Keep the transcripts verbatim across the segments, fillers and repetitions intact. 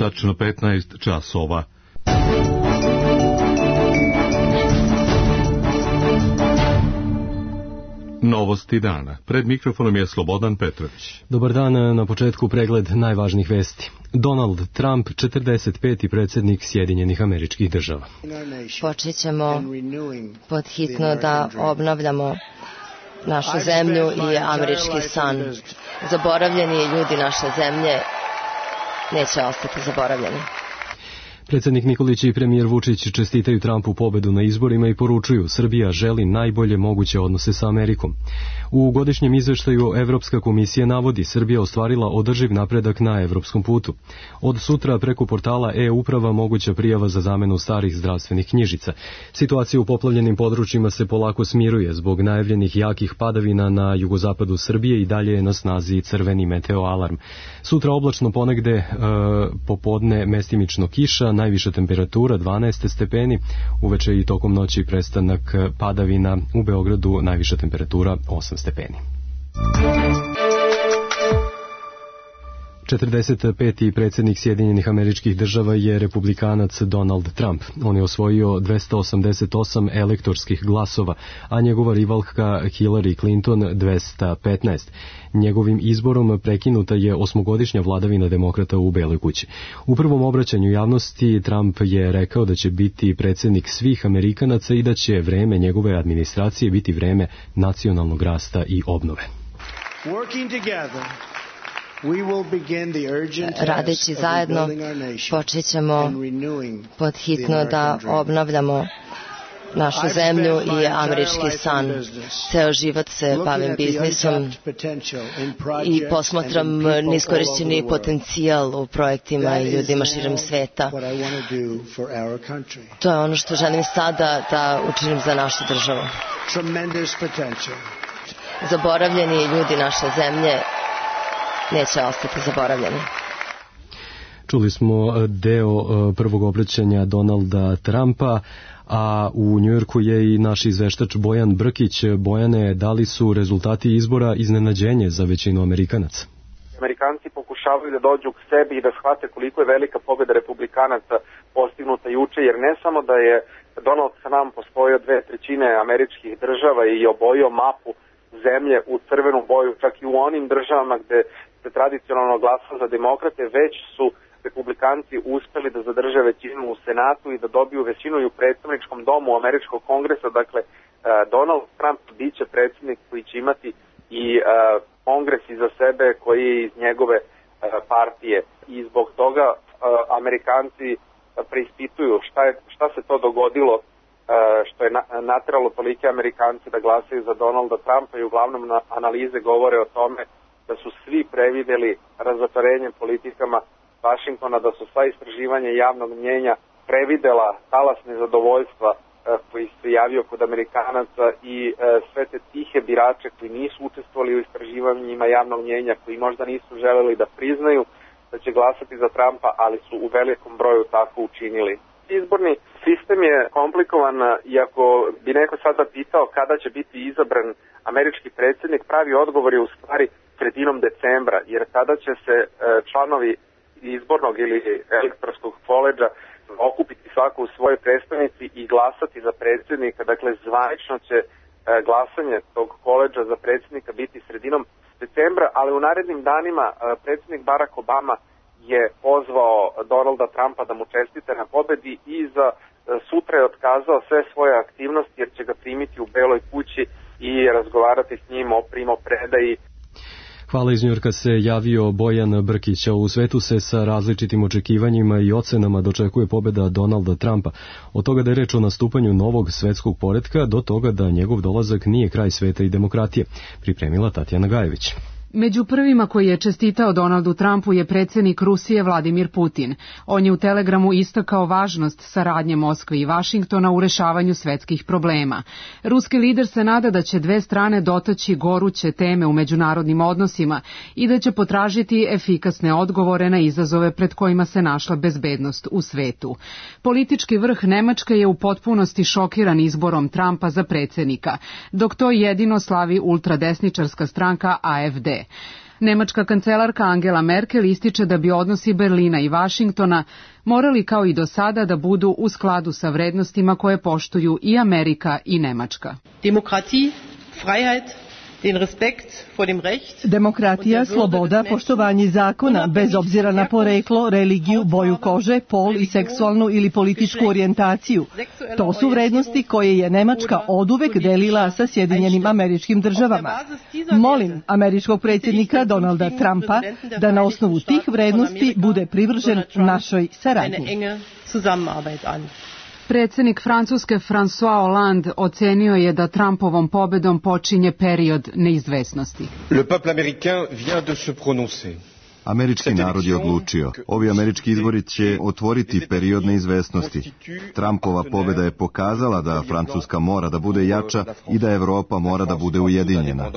tačno petnaest časova. Novosti dana. Pred mikrofonom je Slobodan Petrović. Dobar dan, na početku pregled najvažnijih vesti. Donald Trump, četrdeset peti predsjednik Sjedinjenih Američkih Država. Počet ćemo pod hitno da obnavljamo našu zemlju i američki san. Zaboravljeni ljudi naše zemlje neće ostati zaboravljeni. Predsjednik Nikolić i premijer Vučić čestitaju Trumpu pobedu na izborima i poručuju: Srbija želi najbolje moguće odnose sa Amerikom. U godišnjem izveštaju Evropska komisija navodi: Srbija ostvarila održiv napredak na evropskom putu. Od sutra preko portala e-uprava moguća prijava za zamenu starih zdravstvenih knjižica. Situacija u poplavljenim područjima se polako smiruje. Zbog najavljenih jakih padavina na jugozapadu Srbije i dalje je na snazi crveni meteo alarm. Sutra oblačno, ponegde e, popodne mestimično kiša, najviša temperatura dvanaest stepeni, uveče i tokom noći prestanak padavina, u Beogradu najviša temperatura osam stepeni. četrdeset peti predsjednik Sjedinjenih Američkih Država je republikanac Donald Trump. On je osvojio dvesta osamdeset osam elektorskih glasova, a njegova rivalka Hillary Clinton dvesta petnaest. Njegovim izborom prekinuta je osmogodišnja vladavina demokrata u Beloj kući. U prvom obraćanju javnosti Trump je rekao da će biti predsjednik svih Amerikanaca i da će vreme njegove administracije biti vreme nacionalnog rasta i obnove. Radeći zajedno, počet ćemo pod hitno da obnavljamo našu zemlju i američki san. Ceo život se bavim biznisom i posmatram neiskorišćeni potencijal u projektima i ljudima širom sveta. To je ono što želim sada da učinim za našu državu. Zaboravljeni ljudi naše zemlje neće ostati zaboravljeni. Čuli smo deo prvog obraćanja Donalda Trumpa, a u Njujorku je i naš izveštač Bojan Brkić. Bojane, da li su rezultati izbora iznenađenje za većinu Amerikanaca? Amerikanci pokušavaju da dođu k sebi i da shvate koliko je velika pobjeda republikanaca postignuta juče, jer ne samo da je Donald Trump osvojio dve trećine američkih država i obojio mapu zemlje u crvenu boju, čak i u onim državama gde se tradicionalno glasa za demokrate, već su republikanci uspeli da zadrže većinu u Senatu i da dobiju većinu i u predstavničkom domu američkog kongresa. Dakle, Donald Trump biće predsjednik koji će imati i kongres iza sebe koji je iz njegove partije. I zbog toga Amerikanci preispituju šta, je, šta se to dogodilo što je nateralo tolike Amerikanci da glasaju za Donalda Trumpa, i uglavnom na analize govore o tome da su svi prevideli razotvorenje politikama Vašingtona, da su sva istraživanja javnog mnjenja previdela talas nezadovoljstva koji se javio kod Amerikanaca i sve te tihe birače koji nisu učestvovali u istraživanjima javnog mnjenja, koji možda nisu želeli da priznaju da će glasati za Trumpa, ali su u velikom broju tako učinili. Izborni sistem je komplikovan, iako bi neko sada pitao kada će biti izabran američki predsjednik, pravi odgovor je u stvari sredinom decembra, jer tada će se članovi izbornog ili elektorskog koledža okupiti svako u svojoj predstavnici i glasati za predsjednika. Dakle, zvanično će glasanje tog koledža za predsjednika biti sredinom decembra, ali u narednim danima predsjednik Barack Obama je pozvao Donalda Trumpa da mu čestite na pobedi i za sutra je otkazao sve svoje aktivnosti jer će ga primiti u Beloj kući i razgovarati s njim o primopredaji. Hvala, iz Njujorka se javio Bojan Brkić. U svetu se sa različitim očekivanjima i ocenama dočekuje pobeda Donalda Trumpa. Od toga da je reč o nastupanju novog svetskog poretka do toga da njegov dolazak nije kraj sveta i demokratije. Pripremila Tatjana Gajević. Među prvima koji je čestitao Donaldu Trumpu je predsjednik Rusije Vladimir Putin. On je u telegramu istakao važnost saradnje Moskve i Vašingtona u rešavanju svetskih problema. Ruski lider se nada da će dve strane dotaći goruće teme u međunarodnim odnosima i da će potražiti efikasne odgovore na izazove pred kojima se našla bezbednost u svetu. Politički vrh Nemačke je u potpunosti šokiran izborom Trumpa za predsjednika, dok to jedino slavi ultradesničarska stranka A F D. Nemačka kancelarka Angela Merkel ističe da bi odnosi Berlina i Vašingtona morali kao i do sada da budu u skladu sa vrednostima koje poštuju i Amerika i Nemačka. Demokratija, freiheit, Demokratija, sloboda, poštovanje zakona, bez obzira na poreklo, religiju, boju kože, pol i seksualnu ili političku orijentaciju. To su vrednosti koje je Nemačka oduvek delila sa Sjedinjenim Američkim Državama. Molim američkog predsjednika Donalda Trumpa da na osnovu tih vrednosti bude privržen našoj saradnji. Predsjednik Francuske François Hollande ocenio je da Trumpovom pobedom počinje period neizvesnosti. Le peuple américain vient de se prononcer. Američki narod je odlučio. Ovi američki izbori će otvoriti period neizvesnosti. Trumpova pobjeda je pokazala da Francuska mora da bude jača i da Evropa mora da bude ujedinjena.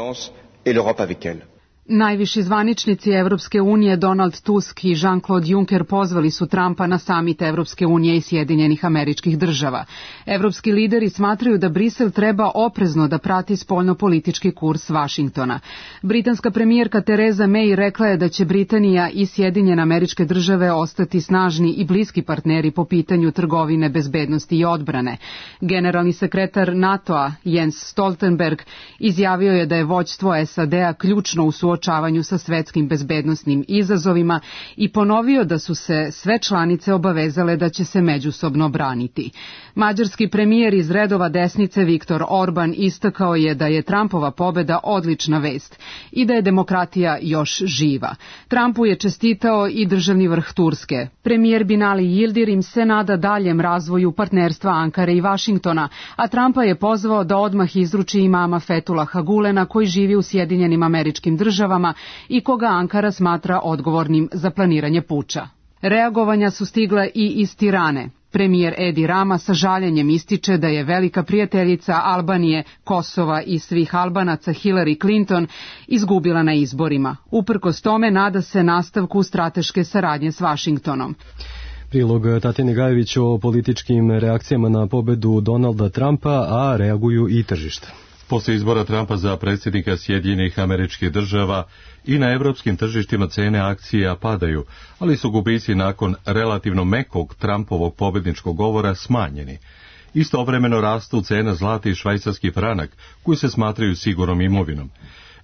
Najviši zvaničnici Evropske unije Donald Tusk i Jean-Claude Juncker pozvali su Trumpa na samit Evropske unije i Sjedinjenih Američkih Država. Evropski lideri smatraju da Brisel treba oprezno da prati spoljnopolitički kurs Vašingtona. Britanska premijerka Theresa May rekla je da će Britanija i Sjedinjene Američke Države ostati snažni i bliski partneri po pitanju trgovine, bezbednosti i odbrane. Generalni sekretar NATO-a Jens Stoltenberg izjavio je da je vođstvo S A D-a ključno u suočavanju sa svetskim bezbednosnim izazovima i ponovio da su se sve članice obavezale da će se međusobno braniti. Mađarski premijer iz redova desnice Viktor Orban istakao je da je Trumpova pobeda odlična vest i da je demokratija još živa. Trumpu je čestitao i državni vrh Turske. Premijer Binali Yildirim se nada daljem razvoju partnerstva Ankare i Vašingtona, a Trumpa je pozvao da odmah izruči imama Fetulaha Gulena koji živi u Sjedinjenim Američkim Državama i koga Ankara smatra odgovornim za planiranje puča. Reagovanja su stigla i iz Tirane. Premijer Edi Rama sa žaljenjem ističe da je velika prijateljica Albanije, Kosova i svih Albanaca Hillary Clinton izgubila na izborima. Uprkos tome nada se nastavku strateške saradnje s Vašingtonom. Prilog Tatjane Gajević o političkim reakcijama na pobedu Donalda Trumpa, a reaguju i tržišta. Poslije izbora Trumpa za predsjednika Sjedinjenih Američkih Država i na evropskim tržištima cene akcija padaju, ali su gubici nakon relativno mekog Trumpovog pobjedničkog govora smanjeni. Istovremeno rastu cena zlata i švajcarski franak, koji se smatraju sigurnom imovinom.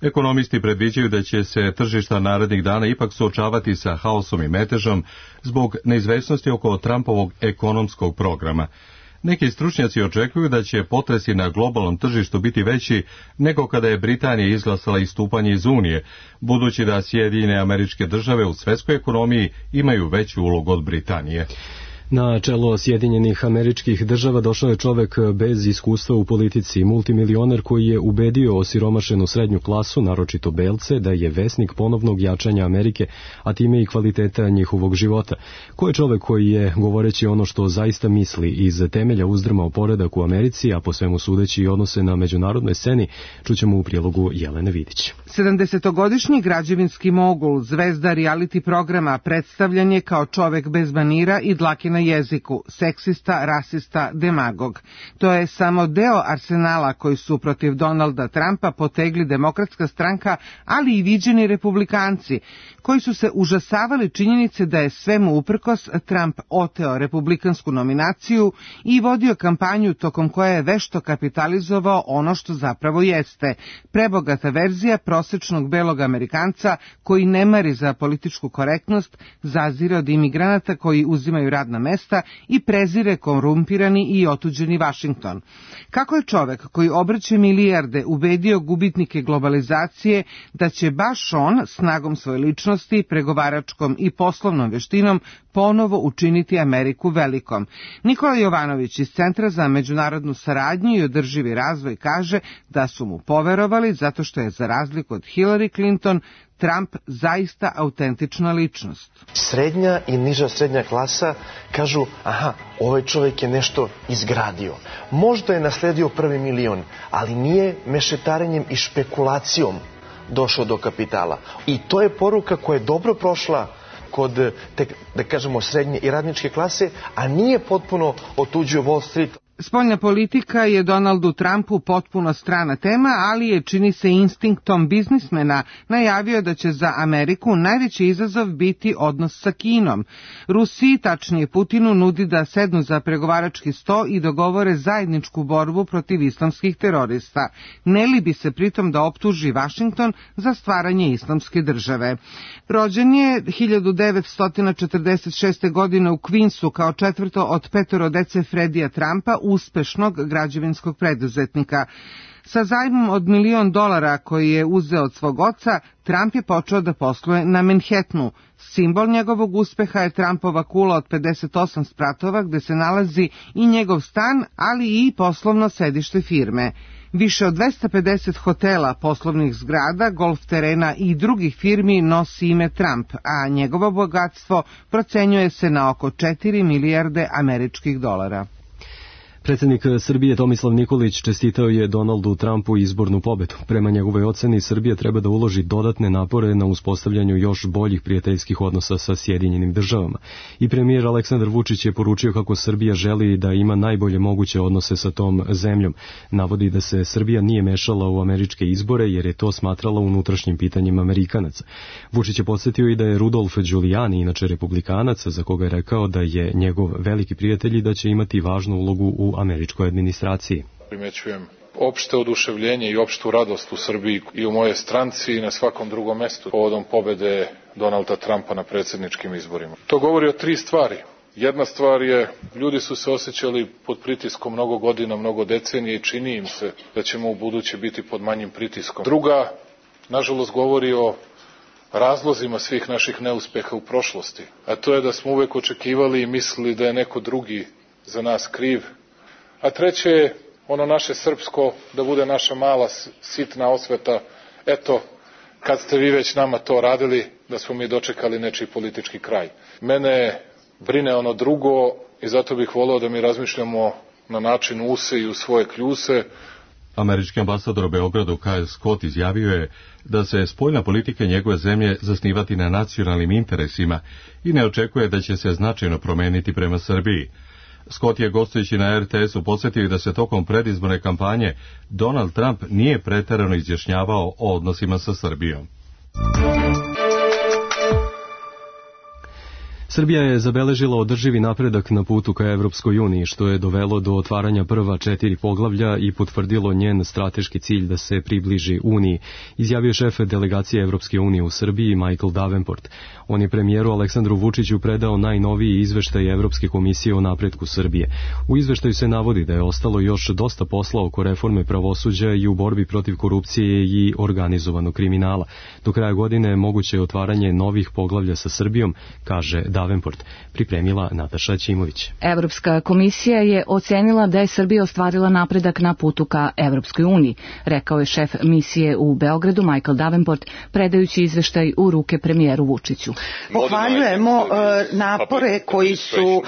Ekonomisti predviđaju da će se tržišta narednih dana ipak suočavati sa haosom i metežom zbog neizvesnosti oko Trumpovog ekonomskog programa. Neki stručnjaci očekuju da će potresi na globalnom tržištu biti veći nego kada je Britanija izglasala istupanje iz Unije, budući da Sjedinjene Američke Države u svjetskoj ekonomiji imaju veću ulogu od Britanije. Na čelo Sjedinjenih Američkih Država došao je čovek bez iskustva u politici, multimilioner koji je ubedio osiromašenu srednju klasu, naročito belce, da je vesnik ponovnog jačanja Amerike, a time i kvaliteta njihovog života. Ko je čovek koji je, govoreći ono što zaista misli, iz temelja uzdrmao poredak u Americi, a po svemu sudeći i odnose na međunarodnoj sceni, čućemo u prilogu Jelene Vidić. sedamdesetogodišnji građevinski mogul, zvezda reality programa, predstavljan je kao čovek bez manira i dlake na jeziku, seksista, rasista, demagog. To je samo deo arsenala koji su protiv Donalda Trumpa potegli Demokratska stranka, ali i viđeni republikanci, koji su se užasavali činjenice da je svemu uprkos Trump oteo republikansku nominaciju i vodio kampanju tokom koje je vešto kapitalizovao ono što zapravo jeste, prebogata verzija prosečnog belog Amerikanca koji ne mari za političku korektnost, zazire od imigranata koji uzimaju radna mesta i prezire korumpirani i otuđeni Vašington. Kako je čovek koji obrće milijarde ubedio gubitnike globalizacije da će baš on snagom svoje ličnosti, pregovaračkom i poslovnom veštinom ponovo učiniti Ameriku velikom? Nikola Jovanović iz Centra za međunarodnu saradnju i održivi razvoj kaže da su mu poverovali zato što je za razliku od Hillary Clinton Trump zaista autentična ličnost. Srednja i niža srednja klasa kažu, aha, ovaj čovjek je nešto izgradio. Možda je nasledio prvi milion, ali nije mešetarenjem i špekulacijom došao do kapitala. I to je poruka koja je dobro prošla kod, te, da kažemo, srednje i radničke klase, a nije potpuno otuđio Wall Street. Spoljna politika je Donaldu Trumpu potpuno strana tema, ali je, čini se instinktom biznismena, najavio da će za Ameriku najveći izazov biti odnos sa Kinom. Rusiji, tačnije Putinu, nudi da sednu za pregovarački sto i dogovore zajedničku borbu protiv islamskih terorista. Ne libi se pritom da optuži Vašington za stvaranje islamske države. Rođen je hiljadu devetsto četrdeset šeste. godine u Queensu kao četvrto od petoro dece Fredija Trumpa, uspešnog građevinskog preduzetnika. Sa zajmom od milion dolara koji je uzeo od svog oca, Trump je počeo da posluje na Manhattanu. Simbol njegovog uspeha je Trumpova kula od pedeset osam spratova gde se nalazi i njegov stan, ali i poslovno sedište firme. Više od dvesta pedeset hotela, poslovnih zgrada, golf terena i drugih firmi nosi ime Trump, a njegovo bogatstvo procenjuje se na oko četiri milijarde američkih dolara. Predsjednik Srbije Tomislav Nikolić čestitao je Donaldu Trumpu izbornu pobedu. Prema njegovoj oceni, Srbija treba da uloži dodatne napore na uspostavljanju još boljih prijateljskih odnosa sa Sjedinjenim državama. I premijer Aleksandar Vučić je poručio kako Srbija želi da ima najbolje moguće odnose sa tom zemljom. Navodi da se Srbija nije mešala u američke izbore jer je to smatrala unutrašnjim pitanjem Amerikanaca. Vučić je podsjetio i da je Rudolf Giuliani, inače republikanac, za koga je rekao da je njegov veliki prijatelj i da će imati važnu ulogu u američkoj administraciji. Primećujem opšte oduševljenje i opštu radost u Srbiji i u moje stranci i na svakom drugom mestu povodom pobede Donalda Trumpa na predsjedničkim izborima. To govori o tri stvari. Jedna stvar je, ljudi su se osjećali pod pritiskom mnogo godina, mnogo decenije i čini im se da ćemo u buduće biti pod manjim pritiskom. Druga, nažalost, govori o razlozima svih naših neuspeha u prošlosti, a to je da smo uvek očekivali i mislili da je neko drugi za nas kriv. A treće je ono naše srpsko, da bude naša mala sitna osveta, eto, kad ste vi već nama to radili, da smo mi dočekali nečiji politički kraj. Mene brine ono drugo i zato bih voleo da mi razmišljamo na način use i u svoje kljuse. Američki ambasador u Beogradu Kyle Scott izjavio je da se spoljna politika njegove zemlje zasnivati na nacionalnim interesima i ne očekuje da će se značajno promeniti prema Srbiji. Scott je gostujući na er te esu podsjetio da se tokom predizborne kampanje Donald Trump nije preterano izjašnjavao o odnosima sa Srbijom. Srbija je zabeležila održivi napredak na putu ka Evropskoj uniji, što je dovelo do otvaranja prva četiri poglavlja i potvrdilo njen strateški cilj da se približi Uniji, izjavio šef delegacije Evropske unije u Srbiji Michael Davenport. On je premijeru Aleksandru Vučiću predao najnoviji izveštaj Evropske komisije o napretku Srbije. U izveštaju se navodi da je ostalo još dosta posla oko reforme pravosuđa i u borbi protiv korupcije i organizovanog kriminala. Do kraja godine moguće je otvaranje novih poglavlja sa Srbijom, kaže Davenport, pripremila Nataša Ćimović. Evropska komisija je ocenila da je Srbija ostvarila napredak na putu ka Evropskoj uniji, rekao je šef misije u Beogradu Michael Davenport, predajući izveštaj u ruke premijeru Vučiću. Pohvaljujemo uh, napore koji su uh,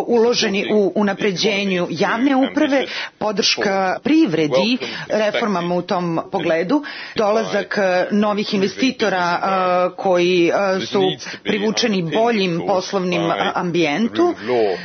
uloženi u unapređenju javne uprave, podrška privredi, reformama u tom pogledu, dolazak uh, novih investitora uh, koji uh, su privučeni boljim poslovnim ambijentu.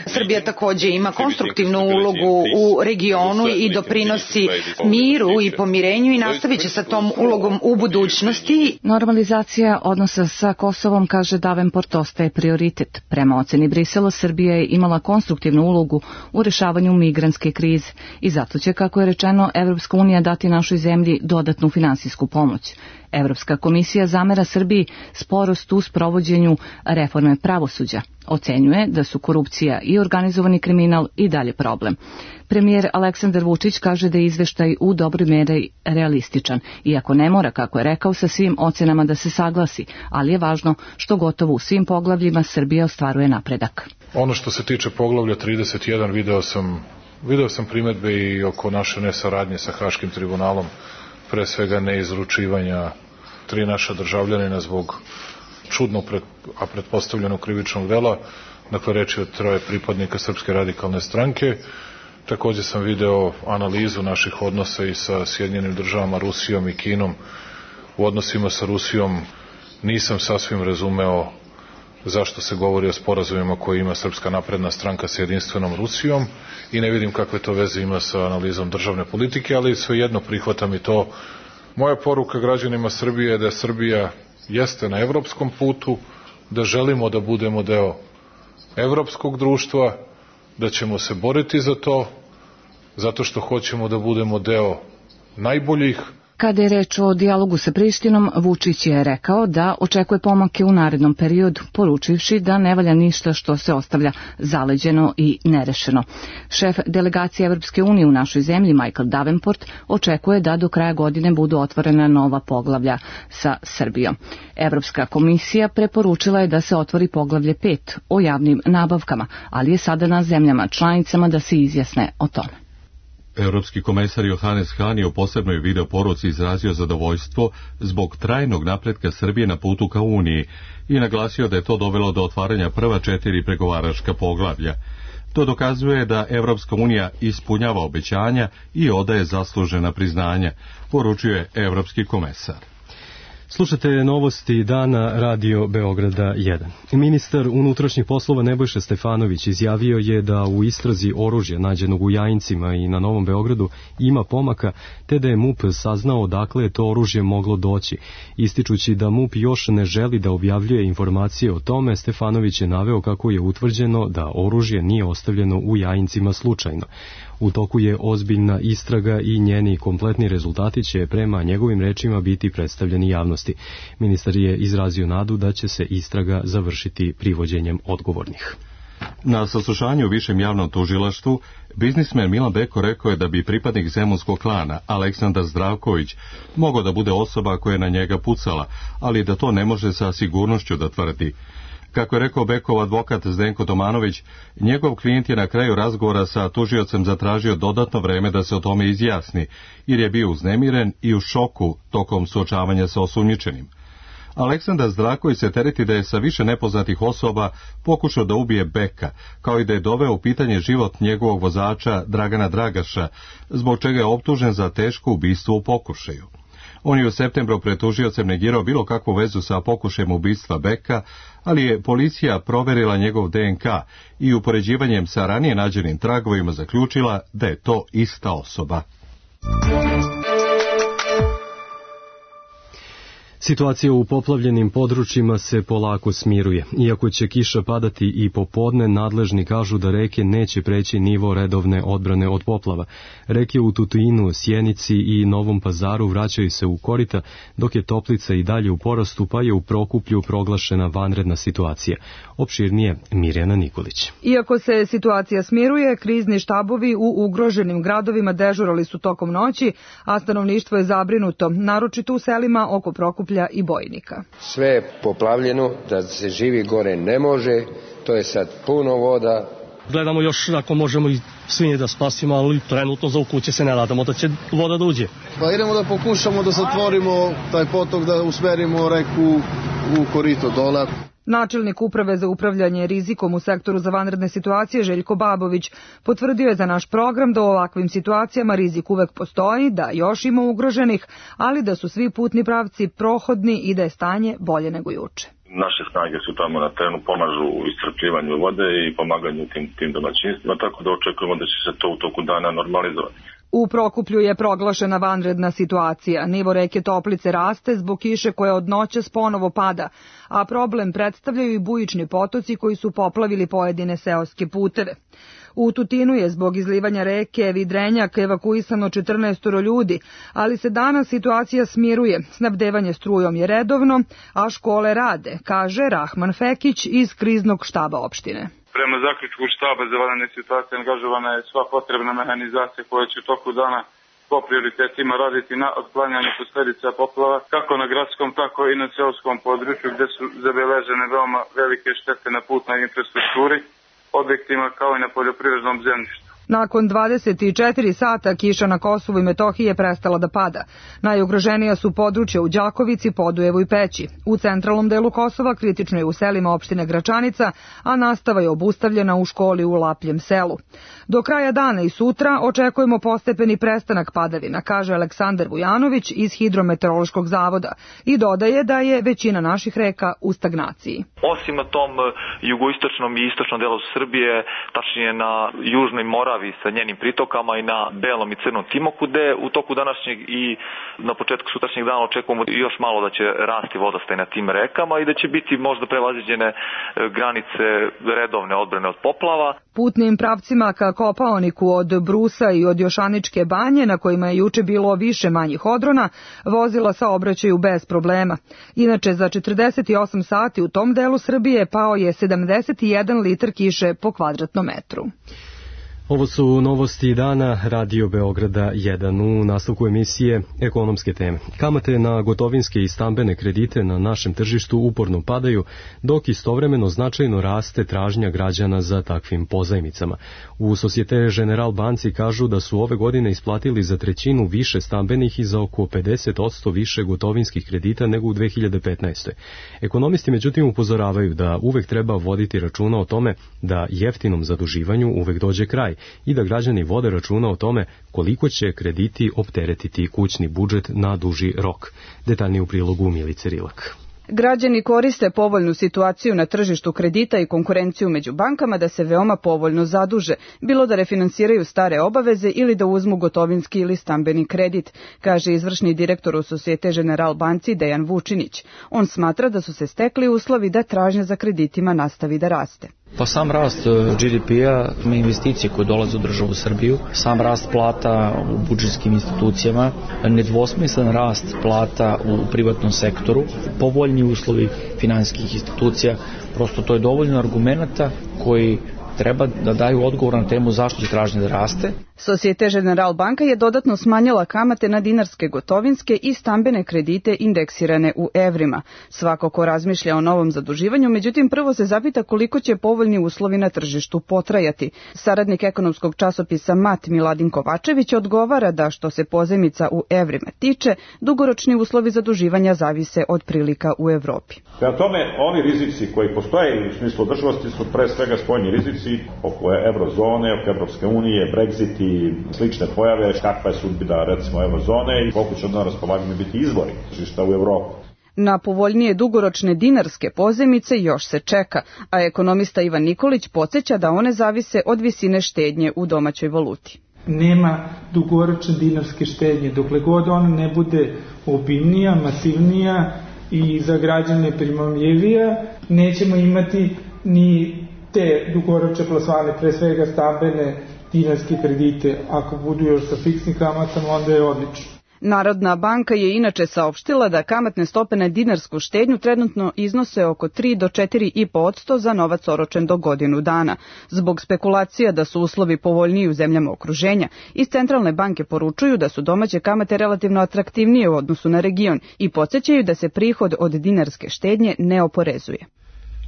Srbija takođe ima konstruktivnu ulogu u regionu i doprinosi miru i pomirenju i nastavit će sa tom ulogom u budućnosti. Normalizacija odnosa sa Kosovom, kaže Davenport, ostaje prioritet. Prema oceni Brisela, Srbija je imala konstruktivnu ulogu u rešavanju migrantske krize i zato će, kako je rečeno, Evropska unija dati našoj zemlji dodatnu finansijsku pomoć. Evropska komisija zamera Srbiji sporost u sprovođenju reforme pravosuđa. Ocenjuje da su korupcija i organizovani kriminal i dalje problem. Premijer Aleksandar Vučić kaže da je izveštaj u dobroj meri realističan, iako ne mora, kako je rekao, sa svim ocenama da se saglasi, ali je važno što gotovo u svim poglavljima Srbija ostvaruje napredak. Ono što se tiče poglavlja trideset jedan, video sam, video sam primetbe i oko naše nesaradnje sa Haškim tribunalom, pre svega neizručivanja tri naša državljanina zbog čudno, pred, a pretpostavljenog krivičnog dela, dakle reč je o troje pripadnika Srpske radikalne stranke. Takođe sam video analizu naših odnosa i sa Sjedinjenim državama, Rusijom i Kinom. U odnosima sa Rusijom nisam sasvim razumeo zašto se govori o sporazumima koje ima Srpska napredna stranka sa jedinstvenom Rusijom i ne vidim kakve to veze ima sa analizom državne politike, ali svejedno prihvatam i to. Moja poruka građanima Srbije je da Srbija jeste na evropskom putu, da želimo da budemo deo evropskog društva, da ćemo se boriti za to, zato što hoćemo da budemo deo najboljih. Kada je reč o dijalogu sa Prištinom, Vučić je rekao da očekuje pomake u narednom periodu, poručivši da ne valja ništa što se ostavlja zaleđeno i nerešeno. Šef delegacije Evropske unije u našoj zemlji, Michael Davenport, očekuje da do kraja godine budu otvorena nova poglavlja sa Srbijom. Evropska komisija preporučila je da se otvori poglavlje pet o javnim nabavkama, ali je sada na zemljama članicama da se izjasne o tome. Europski komesar Johannes Hahn je u posebnoj video poruci izrazio zadovoljstvo zbog trajnog napretka Srbije na putu ka Uniji i naglasio da je to dovelo do otvaranja prva četiri pregovaračka poglavlja. To dokazuje da Evropska unija ispunjava obećanja i odaje zaslužena priznanja, poručuje Evropski komesar. Slušate novosti dana Radio Beograda jedan. Ministar unutrašnjih poslova Nebojša Stefanović izjavio je da u istrazi oružja nađenog u Jajincima i na Novom Beogradu ima pomaka, te da je M U P saznao odakle je to oružje moglo doći. Ističući da M U P još ne želi da objavljuje informacije o tome, Stefanović je naveo kako je utvrđeno da oružje nije ostavljeno u Jajincima slučajno. U toku je ozbiljna istraga i njeni kompletni rezultati će prema njegovim rečima biti predstavljeni javnosti. Ministar je izrazio nadu da će se istraga završiti privođenjem odgovornih. Na saslušanju u Višem javnom tužilaštvu, biznismen Milan Beko rekao je da bi pripadnik zemunskog klana, Aleksandar Zdravković, mogao da bude osoba koja je na njega pucala, ali da to ne može sa sigurnošću da tvrdi. Kako je rekao Bekov advokat Zdenko Tomanović, njegov klijent je na kraju razgovora sa tužiocem zatražio dodatno vreme da se o tome izjasni, jer je bio uznemiren i u šoku tokom suočavanja sa osumnjičenim. Aleksandar Zdravković se tereti da je sa više nepoznatih osoba pokušao da ubije Beka, kao i da je doveo u pitanje život njegovog vozača Dragana Dragaša, zbog čega je optužen za teško ubistvo u pokušaju. On je u septembru pred tužiocem negirao bilo kakvu vezu sa pokušajem ubistva Beka, ali je policija proverila njegov D N K i upoređivanjem sa ranije nađenim tragovima zaključila da je to ista osoba. Situacija u poplavljenim područjima se polako smiruje. Iako će kiša padati i popodne, nadležni kažu da reke neće preći nivo redovne odbrane od poplava. Reke u Tutinu, Sjenici i Novom Pazaru vraćaju se u korita, dok je Toplica i dalje u porastu, pa je u Prokuplju proglašena vanredna situacija. Opširnije Mirjana Nikolić. Iako se situacija smiruje, krizni štabovi u ugroženim gradovima dežurali su tokom noći, a stanovništvo je zabrinuto, naročito u selima oko Prokuplja i Bojnika. Sve je poplavljeno, da se živi gore ne može, to je sad puno voda. Gledamo još ako možemo i svinje da spasimo, ali trenutno za u kuće se ne nadamo da će voda da uđe. Pa idemo da pokušamo da zatvorimo taj potok, da usmerimo reku u korito dole. Načelnik Uprave za upravljanje rizikom u sektoru za vanredne situacije Željko Babović potvrdio je za naš program da u ovakvim situacijama rizik uvek postoji, da još ima ugroženih, ali da su svi putni pravci prohodni i da je stanje bolje nego juče. Naše snage su tamo na terenu, pomažu u iscrpljivanju vode i pomaganju tim, tim domaćinstvima, tako da očekujemo da će se to u toku dana normalizovati. U Prokuplju je proglašena vanredna situacija. Nivo reke Toplice raste zbog kiše koja od noćas ponovo pada, a problem predstavljaju i bujični potoci koji su poplavili pojedine seoske puteve. U Tutinu je zbog izlivanja reke Vidrenjak evakuisano četrnaestoro ljudi, ali se danas situacija smiruje. Snabdevanje strujom je redovno, a škole rade, kaže Rahman Fekić iz kriznog štaba opštine. Prema zaključku štaba za vanredne situacije angažovana je sva potrebna mehanizacija koja će u toku dana po prioritetima raditi na otklanjanju posledica poplava, kako na gradskom, tako i na seoskom području gde su zabeležene veoma velike štete na putnoj infrastrukturi, objektima kao i na poljoprivrednom zemljištu. Nakon dvadeset četiri sata kiša na Kosovu i Metohiji je prestala da pada. Najugroženija su područja u Đakovici, Podujevu i Peći. U centralnom delu Kosova kritično je u selima opštine Gračanica, a nastava je obustavljena u školi u Lapljem selu. Do kraja dana i sutra očekujemo postepeni prestanak padavina, kaže Aleksandar Vujanović iz Hidrometeorološkog zavoda i dodaje da je većina naših reka u stagnaciji. Osim na tom jugoistočnom i istočnom delu Srbije, tačnije na južnoj Moravi sa njenim pritokama i na Belom i Crnom Timoku, gde u toku današnjeg i na početku sutrašnjeg dana očekujemo još malo da će rasti vodostaj na tim rekama i da će biti možda prevaziđene granice redovne odbrane od poplava. Putnim pravcima ka Kopaoniku od Brusa i od Jošaničke banje, na kojima je juče bilo više manjih odrona, vozila saobraćaju bez problema. Inače, za četrdeset osam sati u tom delu Srbije pao je sedamdeset jedan litar kiše po kvadratnom metru. Ovo su novosti dana Radio Beograda jedan. U nastavku emisije ekonomske teme. Kamate na gotovinske i stambene kredite na našem tržištu uporno padaju, dok istovremeno značajno raste tražnja građana za takvim pozajmicama. U Societe General banci kažu da su ove godine isplatili za trećinu više stambenih i za oko pedeset posto više gotovinskih kredita nego u dve hiljade petnaestoj. Ekonomisti međutim upozoravaju da uvek treba voditi računa o tome da jeftinom zaduživanju uvek dođe kraj i da građani vode računa o tome koliko će krediti opteretiti kućni budžet na duži rok. Detaljnije u prilogu Milice Rilak. Građani koriste povoljnu situaciju na tržištu kredita i konkurenciju među bankama da se veoma povoljno zaduže, bilo da refinansiraju stare obaveze ili da uzmu gotovinski ili stambeni kredit, kaže izvršni direktor u Societe General banci Dejan Vučinić. On smatra da su se stekli uslovi da tražnja za kreditima nastavi da raste. Pa sam rast G D P-a, investicije koje dolaze u državu Srbiju, sam rast plata u budžetskim institucijama, nedvosmislen rast plata u privatnom sektoru, povoljni uslovi finansijskih institucija, prosto to je dovoljno argumenata koji treba da daju odgovor na temu zašto će tražnja da raste. Societe General banka je dodatno smanjila kamate na dinarske gotovinske i stambene kredite indeksirane u evrima. Svako ko razmišlja o novom zaduživanju, međutim prvo se zapita koliko će povoljni uslovi na tržištu potrajati. Saradnik ekonomskog časopisa Mat Miladin Kovačević odgovara da što se pozajmica u evrima tiče, dugoročni uslovi zaduživanja zavise od prilika u Evropi. Prema tome, oni rizici koji postoje u smislu održivosti su pre svega spoljni rizici oko evrozone, oko Evropske unije, Brexit i slične pojave, kakva je sudbina recimo evrozone i koliko će od nas raspolaganja biti izvori tržišta u Evropi. Na povoljnije dugoročne dinarske pozajmice još se čeka, a ekonomista Ivan Nikolić podsjeća da one zavise od visine štednje u domaćoj valuti. Nema dugoročne dinarske štednje, dokle god ona ne bude obimnija, masivnija i za građane primamljivija, nećemo imati ni te dugoročne plasmane, pre svega stambene dinarske kredite. Ako budu još sa fiksnim kamatama, onda je odlično. Narodna banka je inače saopštila da kamatne stope na dinarsku štednju trenutno iznose oko tri do četiri i po posto za novac oročen do godinu dana. Zbog spekulacija da su uslovi povoljniji u zemljama okruženja, iz centralne banke poručuju da su domaće kamate relativno atraktivnije u odnosu na region i podsjećaju da se prihod od dinarske štednje ne oporezuje.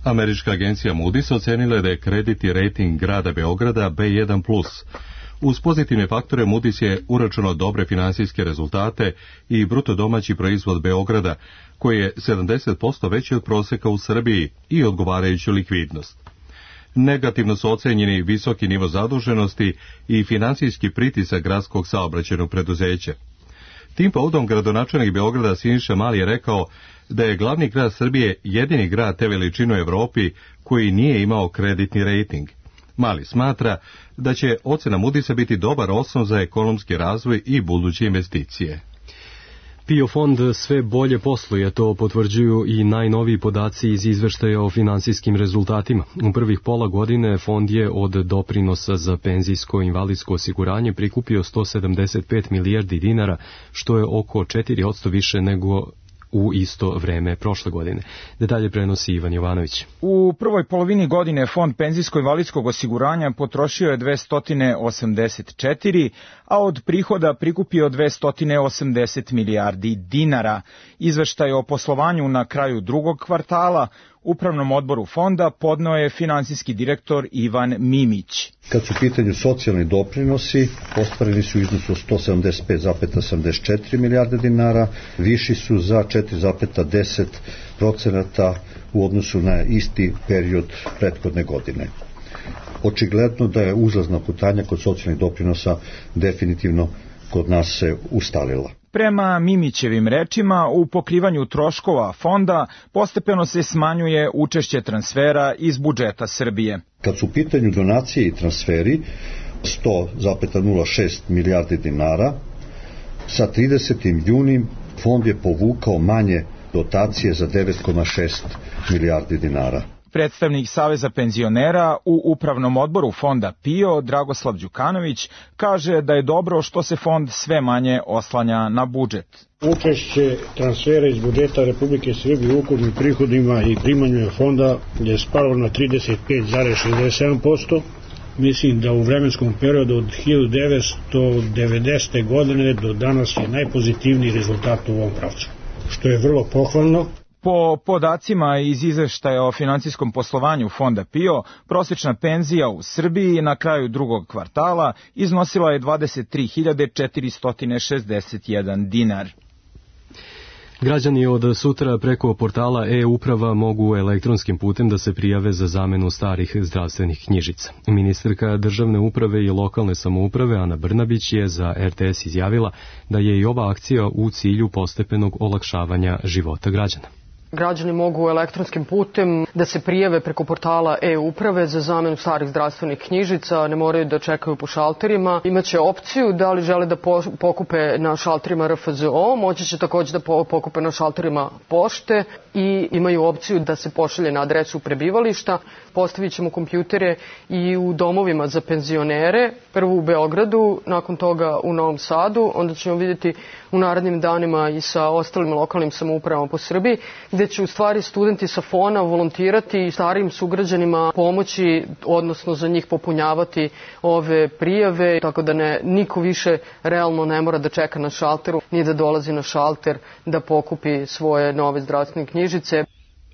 Američka agencija Moody's ocenila je da je kreditni rating grada Beograda B jedan plus. Uz pozitivne faktore Moody's je uračunao dobre finansijske rezultate i bruto domaći proizvod Beograda, koji je sedamdeset posto veći od proseka u Srbiji i odgovarajuću likvidnost. Negativno su ocenjeni visoki nivo zaduženosti i finansijski pritisak gradskog saobraćajnog preduzeća. Tim povodom gradonačelnik Beograda Siniša Mali je rekao da je glavni grad Srbije jedini grad te veličine u Evropi koji nije imao kreditni rating. Mali smatra da će ocena Moody'sa biti dobar osnov za ekonomski razvoj i buduće investicije. PIO fond sve bolje posluje, to potvrđuju i najnoviji podaci iz izveštaja o finansijskim rezultatima. U prvih pola godine fond je od doprinosa za penzijsko i invalidsko osiguranje prikupio sto sedamdeset pet milijardi dinara, što je oko četiri posto više nego u isto vreme prošle godine. Detalje prenosi Ivan Jovanović. U prvoj polovini godine Fond penzijsko-invalidskog osiguranja potrošio je dvesta osamdeset četiri, a od prihoda prikupio dvesta osamdeset milijardi dinara. Izveštaj o poslovanju na kraju drugog kvartala Upravnom odboru fonda podneo je finansijski direktor Ivan Mimić. Kad su u pitanju socijalni doprinosi, ostvareni su u iznosu sto sedamdeset pet zarez sedamdeset četiri milijarde dinara, viši su za četiri zarez deset procenata u odnosu na isti period prethodne godine. Očigledno da je uzlazna putanja kod socijalnih doprinosa definitivno kod nas se ustalila. Prema Mimićevim rečima, u pokrivanju troškova fonda postepeno se smanjuje učešće transfera iz budžeta Srbije. Kad su u pitanju donacije i transferi, sto zarez nula šest milijardi dinara, sa tridesetim junim fond je povukao manje dotacije za devet zarez šest milijardi dinara. Predstavnik Saveza penzionera u Upravnom odboru fonda P I O, Dragoslav Đukanović, kaže da je dobro što se fond sve manje oslanja na budžet. Učešće transfera iz budžeta Republike Srbije u ukupnim prihodima i primanjima fonda je spalo na trideset pet zarez šezdeset sedam posto. Mislim da u vremenskom periodu od hiljadu devetsto devedesete. godine do danas je najpozitivniji rezultat u ovom pravcu, što je vrlo pohvalno. Po podacima iz izveštaja o financijskom poslovanju fonda P I O, prosječna penzija u Srbiji na kraju drugog kvartala iznosila je dvadeset tri hiljade četiristo šezdeset jedan dinar. Građani od sutra preko portala e-uprava mogu elektronskim putem da se prijave za zamenu starih zdravstvenih knjižica. Ministarka državne uprave i lokalne samouprave Ana Brnabić je za R T S izjavila da je i ova akcija u cilju postepenog olakšavanja života građana. Građani mogu elektronskim putem da se prijave preko portala e-uprave za zamenu starih zdravstvenih knjižica, ne moraju da čekaju po šalterima. Imaće opciju da li žele da pokupe na šalterima R F Z O, moći će također da pokupe na šalterima pošte i imaju opciju da se pošalje na adresu prebivališta. Postavit ćemo kompjutere i u domovima za penzionere, prvo u Beogradu, nakon toga u Novom Sadu, onda ćemo vidjeti u narednim danima i sa ostalim lokalnim samoupravama po Srbiji, gde će u stvari studenti sa fona volontirati i starijim sugrađanima pomoći, odnosno za njih popunjavati ove prijave, tako da ne, niko više realno ne mora da čeka na šalteru, ni da dolazi na šalter da pokupi svoje nove zdravstvene knjižice.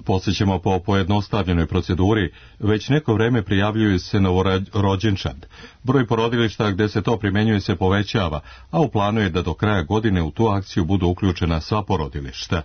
Podsjećamo, po pojednostavljenoj proceduri, već neko vreme prijavljuju se novorođenčad. Broj porodilišta gde se to primjenjuje se povećava, a u planu je da do kraja godine u tu akciju budu uključena sva porodilišta.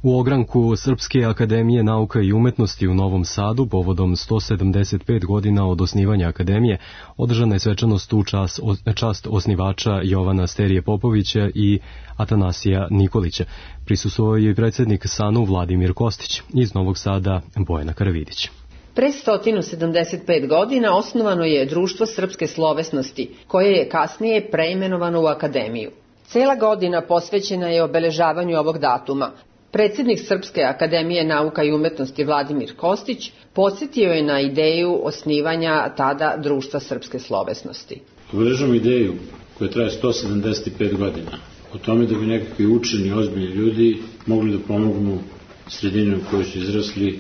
U ogranku Srpske akademije nauka i umetnosti u Novom Sadu, povodom sto sedamdeset pet godina od osnivanja akademije, održana je svečanost u čast, čast osnivača Jovana Sterije Popovića i Atanasija Nikolića. Prisustvovao je i predsjednik S A N U Vladimir Kostić, iz Novog Sada Bojana Karavidić. Pre sto sedamdeset pet godina osnovano je Društvo srpske slovesnosti, koje je kasnije preimenovano u Akademiju. Cela godina posvećena je obeležavanju ovog datuma. Predsjednik Srpske akademije nauka i umetnosti Vladimir Kostić podsjetio je na ideju osnivanja tada Društva srpske slovesnosti. Obeležavamo ideju koja traje sto sedamdeset pet godina o tome da bi nekakvi učeni, ozbiljni ljudi mogli da pomognu sredini u kojoj su izrasli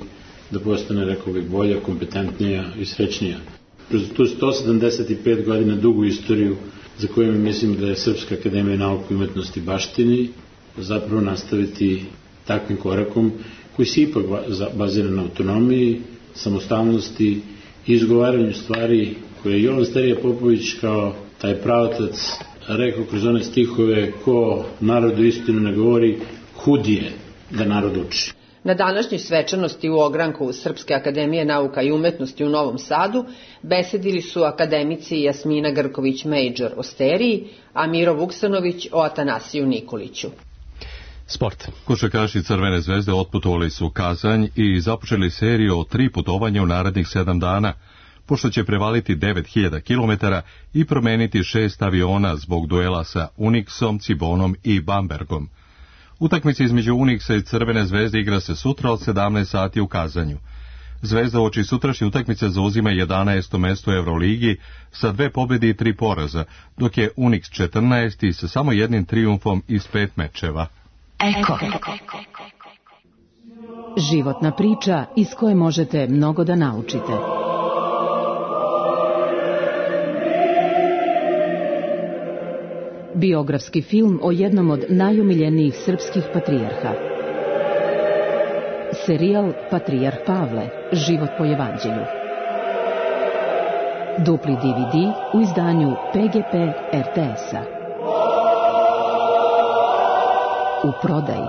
da postane, rekao bih, bolja, kompetentnija i srećnija. Kroz tu sto sedamdeset pet godina dugu istoriju za koju mi mislim da je Srpska akademija nauka i umetnosti baštini, zapravo nastaviti takvim korakom koji se ipak bazira na autonomiji, samostalnosti i izgovaranju stvari koje je Jovan Sterije Popović kao taj pravotac rekao kroz one stihove: ko narodu istinu ne govori, hudije da narod uči. Na današnjoj svečanosti u ogranku Srpske akademije nauka i umetnosti u Novom Sadu besedili su akademici Jasmina Grković-Major o Steriji, a Miro Vuksanović o Atanasiju Nikoliću. Sport. Košarkaši Crvene zvezde otputovali su u Kazanj i započeli seriju od tri putovanja u narednih sedam dana, pošto će prevaliti devet hiljada kilometara i promeniti šest aviona zbog duela sa Unixom, Cibonom i Bambergom. Utakmica između Unixa i Crvene zvezde igra se sutra od sedamnaest sati u Kazanju. Zvezda uoči sutrašnje utakmice zauzima jedanaesto mesto u Euroligi sa dve pobjede i tri poraza, dok je Unix četrnaesti sa samo jednim trijumfom iz pet mečeva. Eko. Životna priča iz koje možete mnogo da naučite. biografski film o jednom od najomiljenijih srpskih patrijarha. Serijal Patrijarh Pavle, život po evanđelju. Dupli D V D u izdanju P G P R T S-a. U prodaji.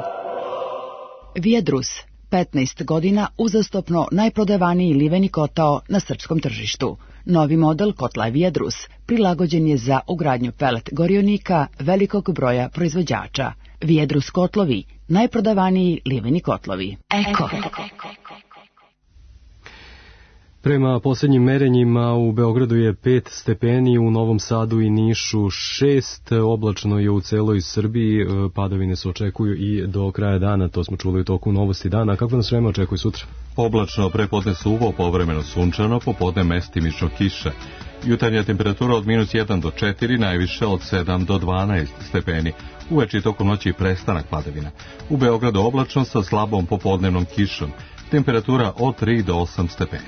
Vijedrus, petnaest godina uzastopno najprodavaniji liveni kotao na srpskom tržištu. Novi model kotla Vijedrus prilagođen je za ugradnju pelet gorionika velikog broja proizvođača. Vijedrus kotlovi, najprodavaniji liveni kotlovi. Eko. Prema posljednjim merenjima u Beogradu je pet stepeni, u Novom Sadu i Nišu šest, oblačno je u celoj Srbiji, padavine se očekuju i do kraja dana, to smo čuli u toku novosti dana. Kako nas vreme očekuje sutra? Oblačno, prepodne suvo, povremeno sunčano, popodne mestimično kiša. Jutarnja temperatura od minus jedan do četiri, najviše od sedam do dvanaest stepeni. Uveče i tokom noći prestanak padavina. U Beogradu oblačno sa slabom popodnevnom kišom. Temperatura od tri do osam stepeni.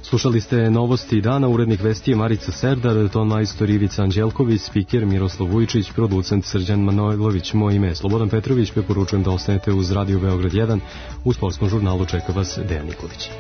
Slušali ste novosti dana, urednik vesti je Marica Serdar, ton majstor Ivica Anđelković, spiker Miroslav Vujčić, producent Srđan Manojlović, moje ime je Slobodan Petrović, preporučujem da ostanete uz Radio Beograd jedan, u sportskom žurnalu čeka vas Dejan Nikolić.